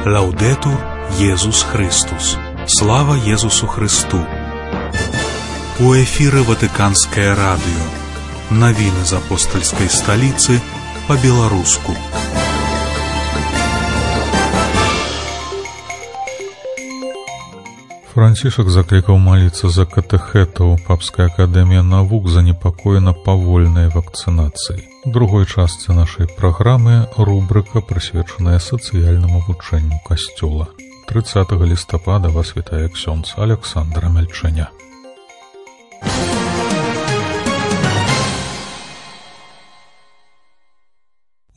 Лаудетур Єсус Христос. Слава Єсусу Христу. У эфире Ватиканское радио. Новины из апостольской столицы по-белорусски. Францішак закликаў маліцца за катэхэтаў. Папская акадэмія навук занепакоена павольнай вакцынацыяй. У другой частцы нашай праграмы рубрыка, прысвечаная сацыяльнаму вучэнню касцёла. 30 лістапада вас вітае ксёндз Александр Мельчаня.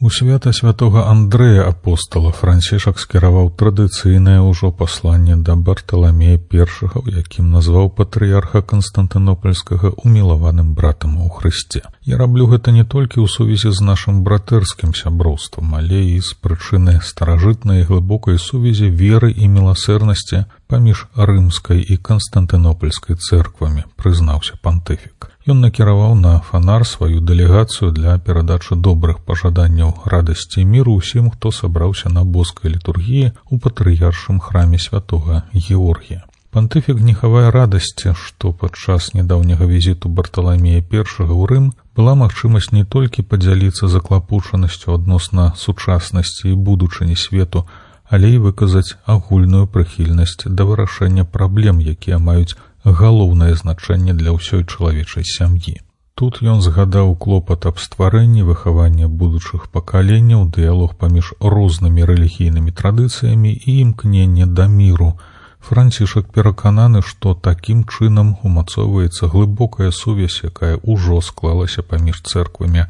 У свята святога Андрэя апостала Францішак скіраваў традыцыйнае ўжо пасланне да Барталамея I, у якім назваў патрыярха Канстантынопольскага умілаваным братам у Хрысце. Я раблю гэта не толькі ў сувязі з нашым братэрскім сяброўствам, але і з прычыны старажытнай глыбокай сувязі веры і міласэрнасці паміж рымскай і канстантынопольскай цэрквамі, прызнаўся пантыфік. Ён накіраваў на фанар сваю дэлегацыю для перадачы добрых пажаданняў радасці і міру ўсім, хто сабраўся на боскай літургіі ў патрыяршым храме святога Георгія. Пантыфік не хавае радасці, што падчас нядаўняга візіту Барталамея I ў Рым была магчымасць не толькі падзяліцца заклапучанасцю адносна сучаснасці і будучыні свету, але і выказаць агульную прыхільнасць да вырашэння праблем, якія маюць галоўнае значэнне для ўсёй чалавечай сям'і. Тут ён згадаў клопат аб стварэнні, выхавання будучых пакаленняў, дыялог паміж рознымі рэлігійнымі традыцыямі і імкненне да міру. Францішак перакананы, што такім чынам умацоўваецца глыбокая сувязь, якая ўжо склалася паміж цэрквамі,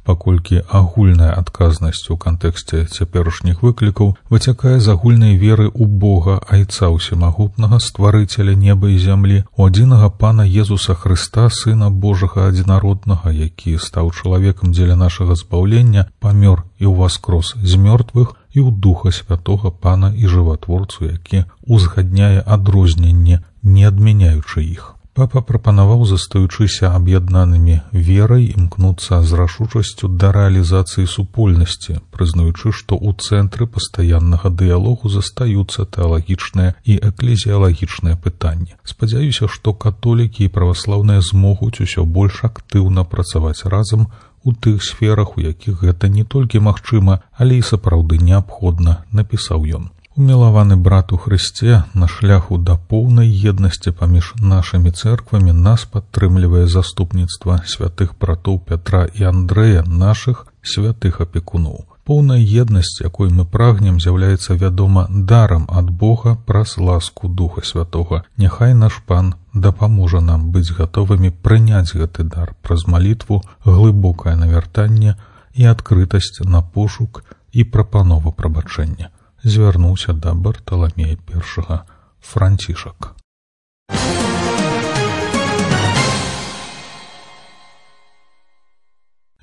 паколькі агульная адказнасць у кантэксце цяперашніх выклікаў выцякае з агульнай веры ў Бога, Айца Усемагутнага, стварыцеля неба і зямлі, у адзінага Пана Езуса Хрыста, Сына Божага адзінароднага, які стаў чалавекам дзеля нашага збаўлення, памёр і ўваскрос з мёртвых, і ў Духа Святога Пана і Жыватворцу, які узгадняе адрозненне, не адмяняючы іх. Папа прапанаваў, застаючыся аб'яднанымі верай, імкнуцца з рашучасцю да рэалізацыі супольнасці, прызнаючы, што ў цэнтры пастаяннага дыялогу застаюцца тэалагічныя і эклезіялагічныя пытанні. Спадзяюся, што католікі і праваслаўныя змогуць усё больш актыўна працаваць разам у тых сферах, у якіх гэта не толькі магчыма, але і сапраўды неабходна, напісаў ён. Умілаваны брат у Хрысце, на шляху да поўнай еднасці паміж нашымі цэрквамі нас падтрымлівае заступніцтва святых братоў Пятра і Андрэя, нашых святых апекуноў. Поўная еднасць, якой мы прагнем, з'яўляецца, вядома, дарам ад Бога праз ласку Духа Святога. Няхай наш Пан дапаможа нам быць гатовымі прыняць гэты дар праз малітву, глыбокае навяртанне і адкрытасць на пошук і прапанову прабачэння. Звярнуўся да Барталамея I Францішак.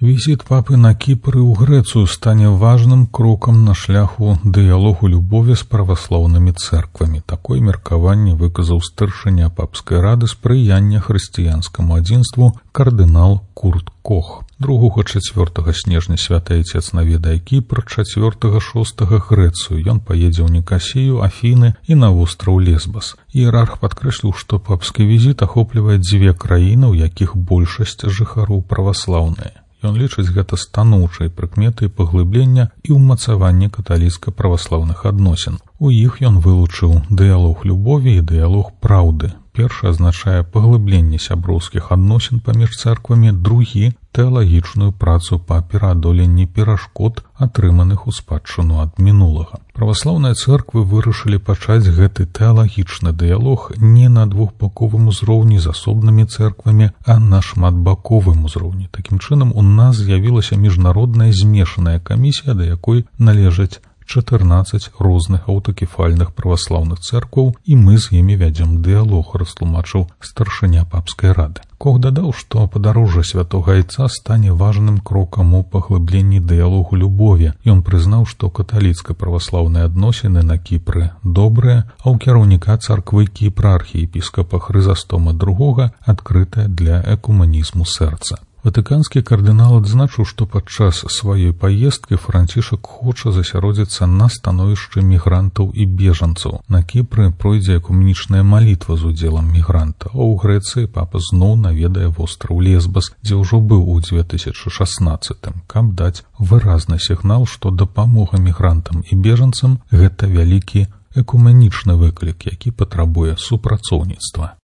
Візіт папы на Кіпр і ў Грэцыю стане важным крокам на шляху дыялогу любові з праваслаўнымі цэрквамі. Такое меркаванне выказаў старшыня папскай рады спрыяння хрысціянскаму адзінству кардынал Курт Кох. 2-4 снежня святы Айцец наведае Кіпр, 4-6 Грэцыю. Ён паедзе ў Нікасію, Афіны і на востраў Лесбас. Іерарх падкрэсліў, што папскі візіт ахоплівае 2 краіны, у якіх большасць жыхароў праваслаўныя. Ён лічыць гэта станоўчай прыкметай паглыблення і ўмацавання каталіцка-праваслаўных адносін. У іх ён вылучыў дыялог любові і дыялог праўды. Першы азначае паглыбленне сяброўскіх адносін паміж цэрквамі, другі – тэалагічную працу па пераадоленні перашкод, атрыманых у спадчыну ад мінулага. Праваслаўныя цэрквы вырашылі пачаць гэты тэалагічны дыялог не на двухбаковым узроўні з асобнымі цэрквамі, а на шматбаковым узроўні. Такім чынам, у нас з'явілася міжнародная змешаная камісія, да якой належаць 14 розных аўтакефальных праваслаўных цэркваў, і мы з імі вядзем дыялог, растлумачыў старшыня папскай рады. Кох дадаў, што падарожжа святога Айца стане важным крокам у паглыбленні дыялогу любові. Ён прызнаў, што каталіцка-праваслаўныя адносіны на Кіпры добрыя, а ў кіраўніка царквы Кіпра архіепіскапа Хрызастома II адкрытая для экуманізму сэрца. Ватыканскі кардынал адзначыў, што падчас сваёй паездкі Францішак хоча засяродзіцца на становішчы мігрантаў і бежанцаў. На Кіпры пройдзе экуменічная малітва з удзелам мігранта, а ў Грэцыі папа зноў наведае востраў Лесбас, дзе ўжо быў у 2016, каб даць выразны сігнал, што дапамога мігрантам і бежанцам – гэта вялікі экуменічны выклік, які патрабуе супрацоўніцтва.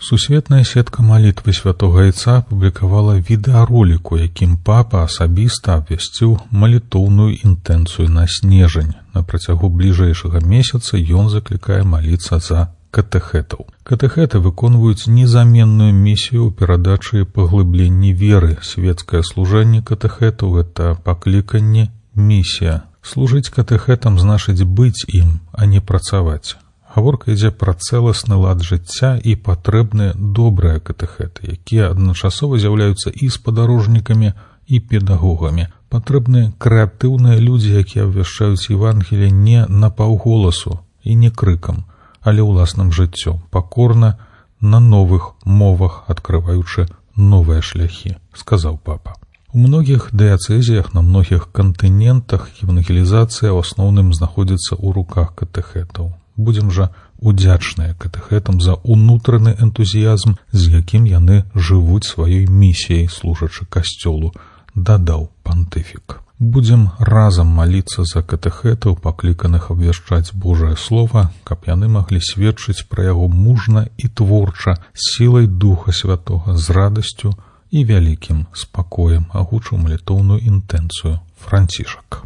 Сусветная сетка малітвы святога Яйца апублікавала відэаролік, у якім папа асабіста абвясціў малітоўную інтэнцыю на снежань. На працягу бліжэйшага месяца ён заклікае маліцца за катэхетаў. Катэхеты выконваюць незаменную місію ў перадачы паглыбленні веры. Светскае служэнне катэхетаў – гэта пакліканне, місія. Служыць катэхетам значыць быць ім, а не працаваць. Гаворка ідзе пра цэласны лад жыцця і патрэбныя добрыя катэхеты, якія адначасова з'яўляюцца і спадарожнікамі, і педагогамі. Патрэбныя крэатыўныя людзі, якія абвяшчаюць Евангелие не напаўголасу і не крыкам, але ўласным жыццём, пакорна, на новых мовах, адкрываючы новыя шляхі, сказаў папа. У многіх дыяцэзіях на многіх кантынентах евангелізацыя ў асноўным знаходзіцца ў руках катэхетаў. Будзем жа удзячныя катэхетам за ўнутраны энтузіязм, з якім яны жывуць сваёй місіяй, служачы касцёлу, дадаў пантыфік. Будзем разам маліцца за катэхетаў, пакліканых абвяшчаць Божае Слова, каб яны маглі сведчыць пра яго мужна і творча, з сілай Духа Святога, з радасцю і вялікім спакоем, агучыў малітоўную інтэнцыю Францішак.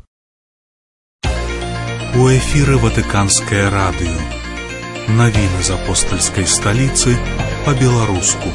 У эфіры Ватыканскае радыё. Навіны з апостальскай сталіцы па-беларуску.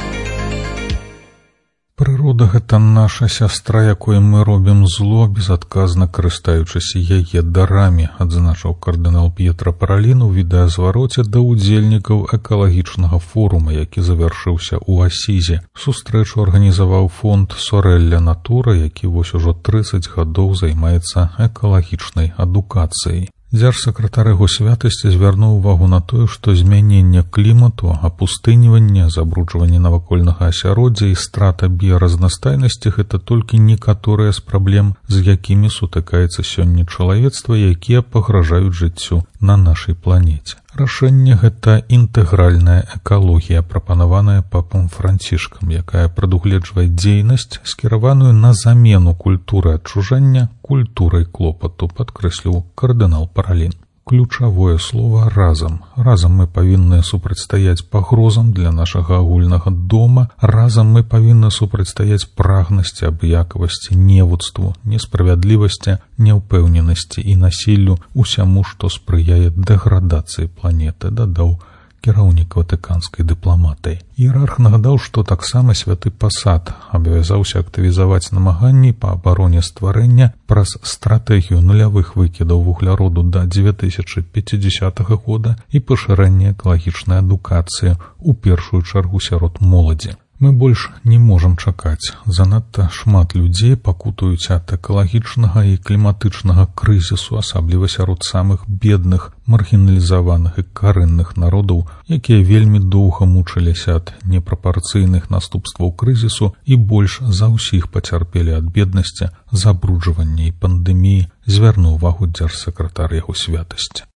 Прырода – гэта наша сястра, якой мы робім зло, безадказна карыстаючыся яе дарамі, адзначыў кардынал П'етра Паралін у відэазвароце да ўдзельнікаў экалагічнага форума, які завяршыўся ў Асізе. Сустрэчу арганізаваў фонд «Сорелля Натура», які вось ужо 30 гадоў займаецца экалагічнай адукацыяй. Дзяржсакратар яго святасці звярнуў увагу на тое, што змяненне клімату, апустыніванне, забруджванне навакольнага асяроддзя і страта біяразнастайнасці – гэта толькі некаторыя з праблем, з якімі сутыкаецца сёння чалавецтва, якія пагражаюць жыццю на нашай планеце. Рашэнне – гэта інтэгральная экалогія, прапанаваная папам Францішкам, якая прадугледжвае дзейнасць, скіраваную на замену культуры адчужання культурай клопату, падкрэсліў кардынал Паралін. Ключавое слово «разам». Разам мы павінны супрацьстаяць пагрозам для нашага агульнага дома, разам мы павінны супрацьстаяць прагнасці, абыякавасці, невуцтву, несправядлівасці, няўпэўненасці і насіллю, усяму, што спрыяе дэградацыі планеты, дадаў кіраўнік ватыканскай дыпламатыі. Іерарх нагадаў, што таксама святы пасад абавязаўся актывізаваць намаганні па абароне стварэння праз стратэгію нулявых выкідаў вугляроду да 2050 года і пашырэння экалагічнай адукацыі, у першую чаргу сярод моладзі. Мы больш не можам чакаць. Занадта шмат людзей пакутаюць ад экалагічнага і кліматычнага крызісу, асабліва сярод самых бедных, маргіналізаваных і карэнных народаў, якія вельмі доўга мучыліся ад непрапарцыйных наступстваў крызісу і больш за ўсіх пацярпелі ад беднасці, забруджвання і пандэміі, звярнуў увагу дзяржсакратар яго святасці.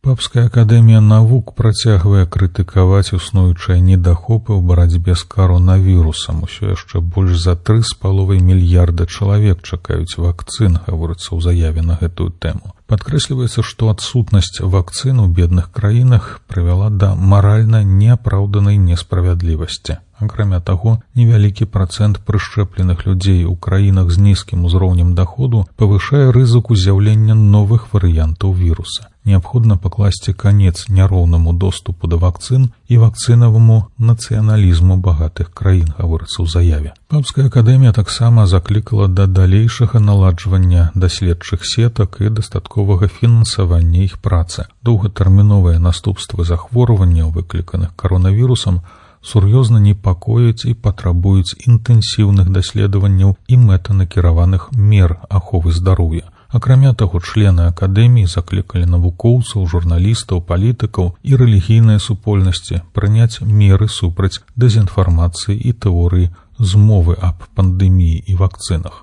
Папская акадэмія навук працягвае крытыкаваць існуючыя недахопы ў барацьбе з каронавірусам. Усё яшчэ больш за 3,5 мільярда чалавек чакаюць вакцын, гаворыцца ў заяве на гэтую тэму. Падкрэсліваецца, што адсутнасць вакцын у бедных краінах прывяла да маральна неапраўданай несправядлівасці. Акрамя таго, невялікі працэнт прышчэпленых людзей у краінах з нізкім узроўнем даходу павышае рызыку з'яўлення новых варыянтаў віруса. Неабходна пакласці канец няроўнаму доступу да вакцын і вакцынаваму нацыяналізму багатых краін, гаворыцца ў заяве. Папская акадэмія таксама заклікала да далейшага наладжвання даследчых сетак і дастатковага фінансавання іх працы. Доўгатэрміновыя наступствы захворванняў, выкліканых каронавірусам, сур'ёзна непакояць і патрабуюць інтэнсіўных даследаванняў і мэтанакіраваных мер аховы здароўя. Акрамя таго, члены акадэміі заклікалі навукоўцаў, журналістаў, палітыкаў і рэлігійныя супольнасці прыняць меры супраць дэзінфармацыі і тэорыі змовы аб пандэміі і вакцынах.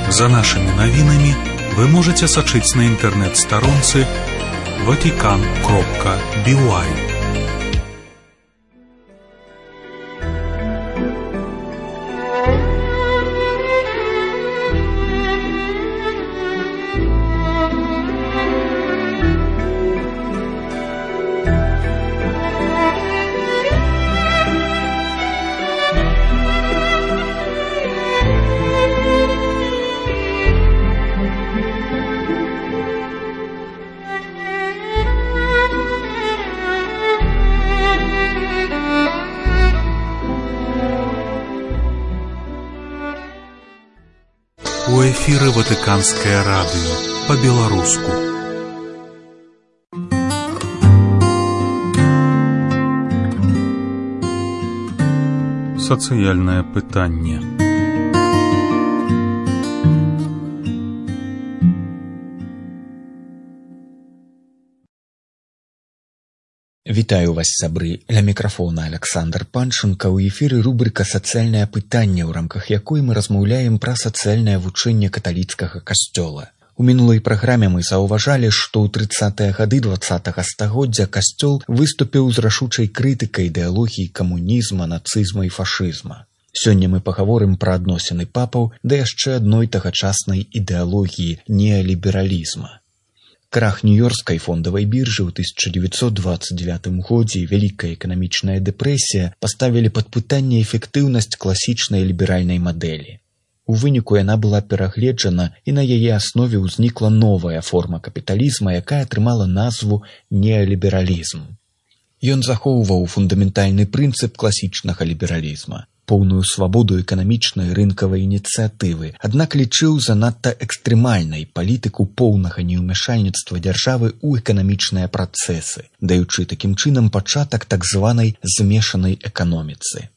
За нашими навінамі вы можете сачыць на інтэрнэт-старонцы vatican.by. У эфіры Ватыканскае радыё па-беларуску. Сацыяльнае пытанне. Вітаю вас, сябры. Ля мікрафона Александр Панченко. У эфіры рубрика «Сацыяльнае пытанне», у рамках якой мы размаўляем пра сацыяльнае вучэнне каталіцкага касцёла. У мінулай праграме мы заўважалі, што ў 30-е гады 20-го стагоддзя касцёл выступіў з рашучай крытыкай ідэалогіі камунізма, нацызма і фашызма. Сёння мы пагаворым пра адносіны папаў да яшчэ адной тагачаснай ідэалогіі неалібералізма. Крах нью-йоркскай фондавай біржы ў 1929 годзе і вялікая эканамічная дэпрэсія паставілі пад пытанне эфектыўнасць класічнай ліберальнай мадэлі. У выніку яна была перагледжана, і на яе аснове ўзнікла новая форма капіталізма, якая атрымала назву неалібералізм. Ён захоўваў фундаментальны прынцып класічнага лібералізма – поўную свабоду эканамічнай рынкавай ініцыятывы, аднак лічыў занадта экстрэмальнай палітыку поўнага неўмяшальніцтва дзяржавы ў эканамічныя працэсы, даючы такім чынам пачатак так званай змешанай эканоміцы.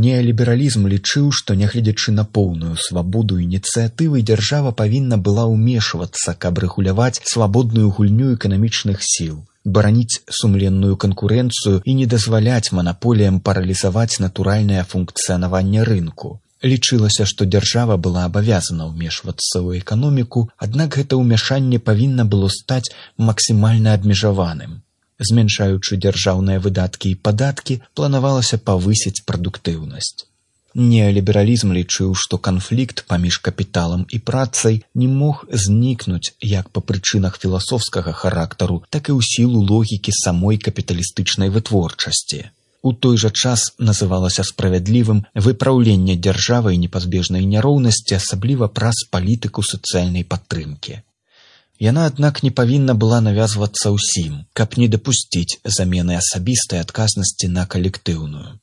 Неалібералізм лічыў, што нягледзячы на поўную свабоду ініцыятывы, дзяржава павінна была ўмешвацца, каб рэгуляваць свабодную гульню эканамічных сіл, бараніць сумленную канкурэнцыю і не дазваляць манаполіям паралізаваць натуральнае функцыянаванне рынку. Лічылася, што дзяржава была абавязана ўмешвацца ў эканоміку, аднак гэта ўмяшанне павінна было стаць максімальна абмежаваным. Зменшаючы дзяржаўныя выдаткі і падаткі, планавалася павысіць прадуктыўнасць. Неалібералізм лічыў, што канфлікт паміж капіталам і працай не мог знікнуць як па прычынах філасофскага характару, так і ў сілу логікі самой капіталістычнай вытворчасці. У той жа час называлася справядлівым выпраўленне дзяржавай непазбежнай няроўнасці, асабліва праз палітыку сацыяльнай падтрымкі. Яна, аднак, не павінна была навязвацца ўсім, каб не дапусціць замены асабістай адказнасці на калектыўную.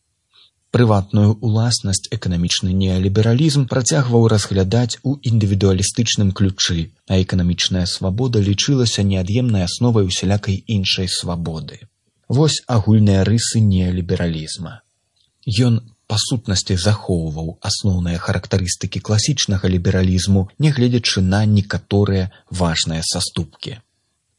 Прыватную ўласнасць эканамічны неалібералізм працягваў разглядаць у індывідуалістычным ключы, а эканамічная свабода лічылася неад'емнай асновай усялякай іншай свабоды. Вось агульныя рысы неалібералізма. Ён па сутнасці захоўваў асноўныя характарыстыкі класічнага лібералізму, нягледзячы на некаторыя важныя саступкі.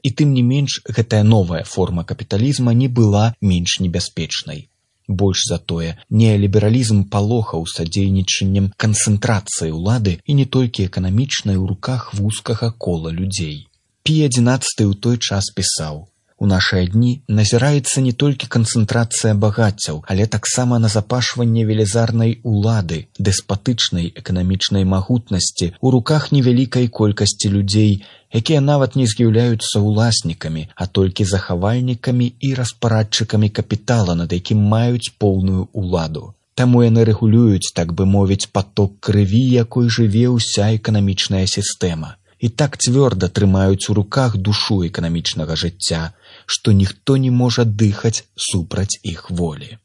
І тым не менш, гэтая новая форма капіталізма не была менш небяспечнай. Больш за тое, неалібералізм палохаў садзейнічаннем канцэнтрацыі ўлады і не толькі эканамічнай у руках вузкага кола людзей. Пій XI ў той час пісаў: «У нашыя дні назіраецца не толькі канцэнтрацыя багаццяў, але таксама назапашванне велізарнай улады, дэспатычнай эканамічнай магутнасці ў руках невялікай колькасці людзей, якія нават не з'яўляюцца ўласнікамі, а толькі захавальнікамі і распарадчыкамі капітала, над якім маюць поўную ўладу. Таму яны рэгулююць, так бы мовіць, паток крыві, якой жыве ўся эканамічная сістэма. І так цвёрда трымаюць у руках душу эканамічнага жыцця, што ніхто не можа дыхаць супраць іх волі».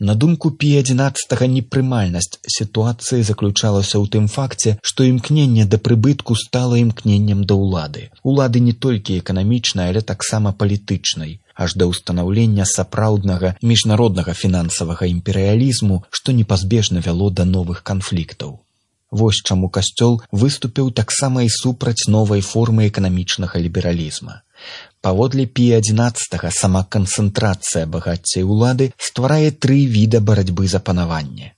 На думку Пія XI, непрымальнасць сітуацыі заключалася ў тым факце, што імкненне да прыбытку стала імкненнем да ўлады. Улады не толькі эканамічнай, але таксама палітычнай, аж да ўстанаўлення сапраўднага міжнароднага фінансавага імперыялізму, што непазбежна вяло да новых канфліктаў. Вось чаму касцёл выступіў таксама і супраць новай формы эканамічнага лібералізма. Паводле Пія XI сама канцэнтрацыя багацця і ўлады стварае 3 віда барацьбы за панаванне.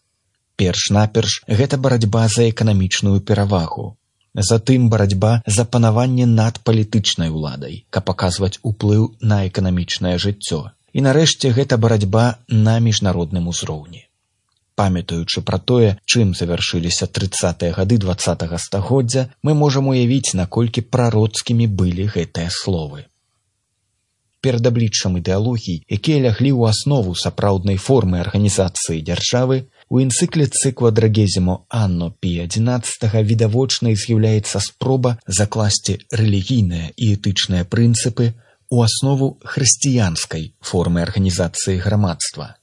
Перш-наперш гэта барацьба за эканамічную перавагу. Затым барацьба за панаванне над палітычнай уладай, каб паказваць уплыў на эканамічнае жыццё. І нарэшце гэта барацьба на міжнародным узроўні. Памятаючы пра тое, чым завяршыліся 30-е гады 20-го стагоддзя, мы можам уявіць, наколькі прароцкімі былі гэтыя словы. Перад абліччам ідэалогій, якія ляглі ў аснову сапраўднай формы арганізацыі дзяржавы, у энцыкліцы Quadragesimo Anno Pia XI відавочнай з'яўляецца спроба закласці рэлігійныя і этычныя прынцыпы ў аснову хрысціянскай формы арганізацыі грамадства.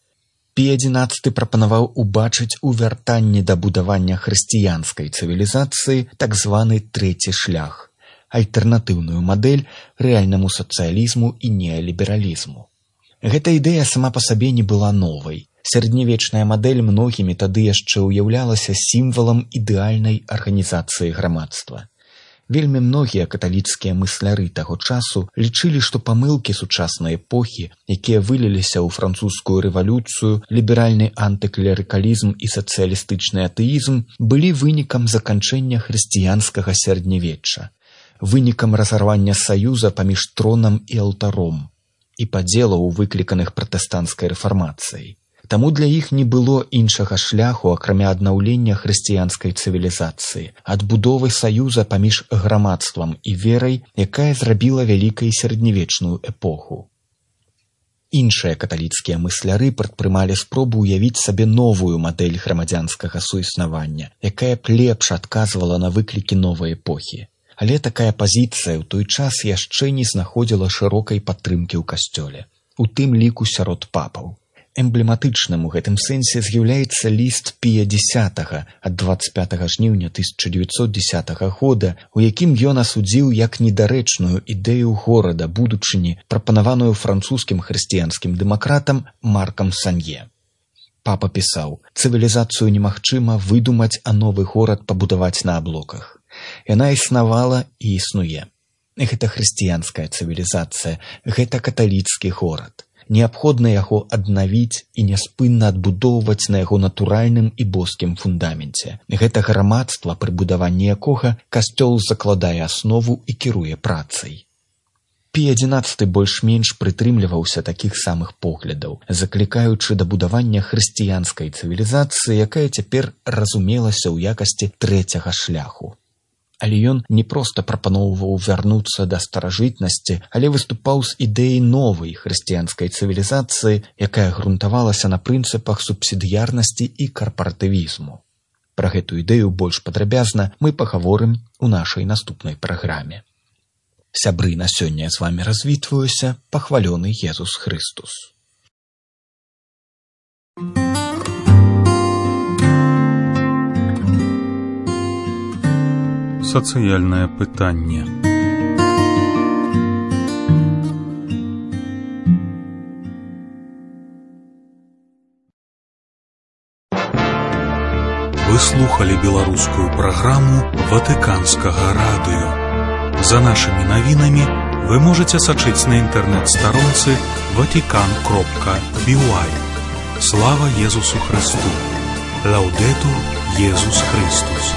Пія XI прапанаваў убачыць у вяртанні да будавання хрысціянскай цывілізацыі так званы трэці шлях, альтэрнатыўную мадэль рэальнаму сацыялізму і неалібералізму. Гэта ідэя сама па сабе не была новай. Сярэднявечная мадэль многімі тады яшчэ ўяўлялася сімвалам ідэальнай арганізацыі грамадства. Вельмі многія каталіцкія мысляры таго часу лічылі, што памылкі сучаснай эпохі, якія выліліся ў французскую рэвалюцыю, ліберальны антыклерыкалізм і сацыялістычны атэізм былі вынікам заканчэння хрысціянскага сярэднявечча, вынікам разарвання саюза паміж тронам і алтаром і падзелаў, выкліканых пратэстанцкай рэфармацыяй. Таму для іх не было іншага шляху, акрамя аднаўлення хрысціянскай цывілізацыі, адбудовы саюза паміж грамадствам і верай, якая зрабіла вялікай сярэднявечную эпоху. Іншыя каталіцкія мысляры прадпрымалі спробу ўявіць сабе новую мадэль грамадзянскага суіснавання, якая б лепш адказвала на выклікі новай эпохі. Але такая пазіцыя ў той час яшчэ не знаходзіла шырокай падтрымкі ў касцёле, у тым ліку сярод папаў. Эмблематычным у гэтым сэнсе з'яўляецца ліст Пія X ад 25 жніўня 1910 года, у якім ён асудзіў як недарэчную ідэю горада будучыні, прапанаваную французскім хрысціянскім дэмакратам Маркам Санье. Папа пісаў: «Цывілізацыю немагчыма выдумаць, а новы горад пабудаваць на аблоках. Яна існавала і існуе. Гэта хрысціянская цывілізацыя, гэта каталіцкі горад. Неабходна яго аднавіць і няспынна адбудоўваць на яго натуральным і боскім фундаменце. Гэта грамадства, пры будаванні якога касцёл закладае аснову і кіруе працай». Пія XI больш-менш прытрымліваўся такіх самых поглядаў, заклікаючы да будавання хрысціянскай цывілізацыі, якая цяпер разумелася ў якасці трэцяга шляху. Але ён не проста прапаноўваў вярнуцца да старажытнасці, але выступаў з ідэяй новай хрысціянскай цывілізацыі, якая грунтавалася на прынцыпах субсідыярнасці і карпаратывізму. Пра гэту ідэю больш падрабязна мы пагаворым у нашай наступнай праграме. Сябры, на сёння я з вамі развітваюся. Пахвалёны Езус Хрыстус. Сацыяльнае пытанне. Вы слухали беларускую праграму Ватыканскага радыё. За нашымі навінамі вы можаце сачыць на інтэрнэт-старонцы vatican.by. Слава Езусу Христу! Лаўдэтур Езус Христус!